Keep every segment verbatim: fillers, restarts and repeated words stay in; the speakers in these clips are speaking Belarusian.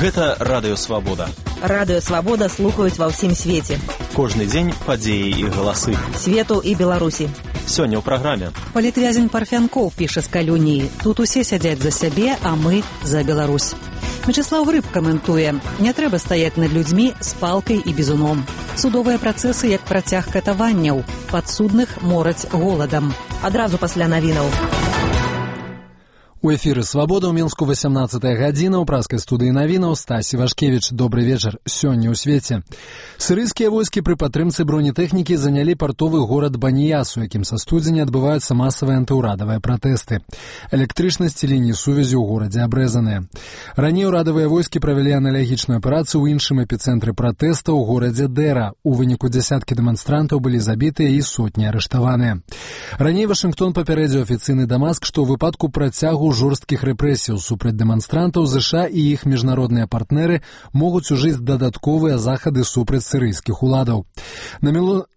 Гэта Радыё Свабода. Радыё Свабода слухаюць ва ўсім свеце. Кожны дзень падзеі і галасы. Свету і Беларусі. Сёння ў праграме. Палітвязень Парфянкоў піша з калюніі. Тут усе сядзяць за сябе, а мы за Беларусь. Мячеслав Грыб каментуе. Не трэба стаяць над людзьмі з палкай і бізуном. Судовыя працэсы як працяг катаванняў. Падсудных мораць голадам. Адразу пасля навінаў. У эфіры «Свабода» ў Мінску васямнаццатая гадзіна, ў праскай студыі навінаў Стасі Вашкевіч. Добры вечар. Сёння ў свеце. Сірыйскія войскі пры падтрымцы бронетэхнікі занялі партовы горад Баніяс, у якім са студзеня адбываюцца масавыя антыўрадавыя пратэсты. Электрычнасць і лініі сувязі ў горадзе абрэзаныя. Раней урадавыя войскі правялі аналагічную аперацыю ў іншым эпіцэнтры пратэста ў горадзе Дэра. У выніку дзясяткі дэманстрантаў былі забітыя і сотні арыштаваныя. Раней Вашынгтон папярэдзіў афіцыйны Дамаск, што ў выпадку працягу жорсткіх рэпрэсіяў супраць дэманстрантаў ЗША і іх міжнародныя партнеры могуць ужыць дадатковыя захады супраць сірыйскіх уладаў. На міло...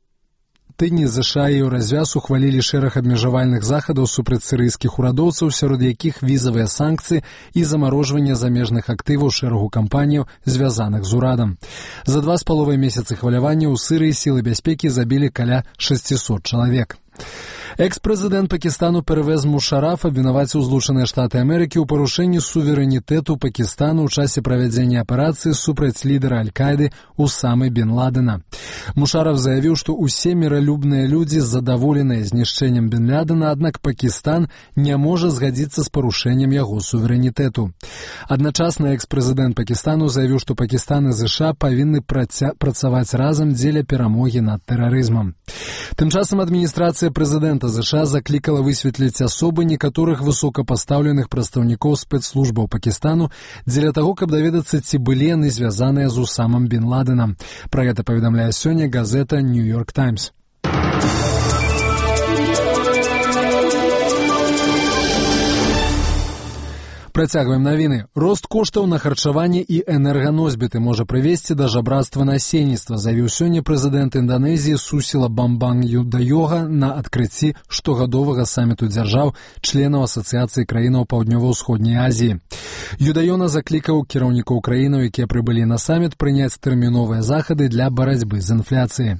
тыдні ЗША і Еўразвяз ухвалілі шэраг абмежавальных захадаў супраць сірыйскіх урадоўцаў, сярод якіх візавыя санкцыі і замарожванне замежных актываў шэрагу кампаніяў, звязаных з урадам. За два з паловай месяцы хвалявання ў Сірыі сілы бяспекі забілі каля шасцісот чалавек. Экс-прэзідэнт Пакістану Первез Мушараф абвінаваціў Злучаныя Штаты Амерыкі ў парушэнні суверэнітэту Пакістану ў часе правядзення аперацыі супраць лідара Аль-Каіды Усамы бен Ладена. Мушараф заявіў, што ўсе міралюбныя людзі задаволеныя знішчэннем бен Ладена, аднак Пакістан не можа згадзіцца з парушэннем яго суверэнітэту. Адначасна экс-прэзідэнт Пакістану заявіў, што Пакістан і ЗША павінны праця... працаваць разам дзеля перамогі над тэрарызмам. Тым часам адміністрацыя прэзідэнта ЗША заклікала высветліць асобы некаторых высокапастаўленых прадстаўнікоў спецслужбаў Пакістану дзеля таго, каб даведацца, ці былі яны звязаныя з Усамам бен Ладенам. Пра гэта паведамляе сёння газета «Нью-Йорк Таймс». Працягваем навіны. Рост коштаў на харчаванне і энерганосьбіты можа прывесці да жабрацтва насельніцтва, заявіў сёння прэзідэнт Інданезіі Сусіла Бамбанг Юдаёга на адкрыцці штогадовага саміту дзяржаў, членаў Асацыяцыі краінаў Паўднёва-ўсходняй Азіі. Юдаёна заклікаў кіраўнікоў краінаў, якія прыбылі на саміт, прыняць тэрміновыя захады для барацьбы з інфляцыяй.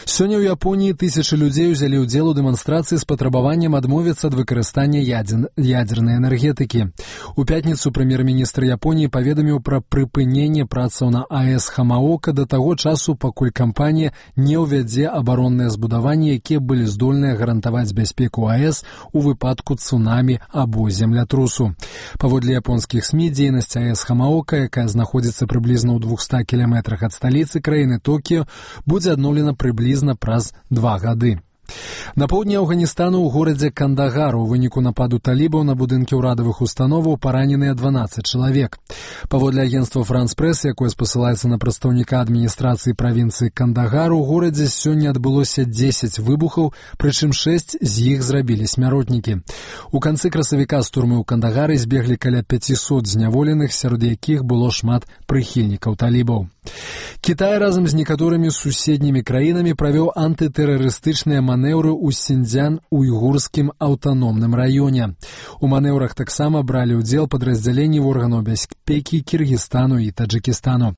Сёння ў Японіі тысячы людзей узялі ўдзел у дэманстрацыі з патрабаваннем адмовіцца ад выкарыстання ядзер... ядзернай энергетыкі. У пятніцу прэм'ер-міністр Японіі паведаміў пра прыпыненне працаў на АЭС Хамаока да таго часу, пакуль кампанія не ўвядзе абаронныя збудаванні, якія былі здольныя гарантаваць бяспеку АЭС у выпадку цунамі або землятрусу. Паводле японскіх СМІ, дзейнасць АЭС Хамаока, якая знаходзіцца прыблізна ў двухстах кіламетрах ад сталіцы краіны Токіё, будзе адноўлена прыблізна праз два гады. На поўдні Афганістану ў горадзе Кандагар у выніку нападу талібаў на будынкі ўрадавых установаў параненыя дванаццаць чалавек. Паводле агенцтва «Франс Прэс», якое спасылаецца на прадстаўніка адміністрацыі правінцыі Кандагар, у горадзе сёння адбылося дзесяць выбухаў, прычым шэсць з іх зрабілі смяротнікі. У канцы красавіка з турмы ў Кандагары збеглі каля пяцісот зняволеных, сярод якіх было шмат прыхільнікаў талібаў. Кітай разам з некаторымі суседнімі краінамі правёў антытэрарыстычныя манеўры ў Сіньцзян-Уйгурскім аўтаномным раёне. У манеўрах таксама бралі ўдзел падраздзяленні органаў бяспекі Кіргізстану і Таджыкістану.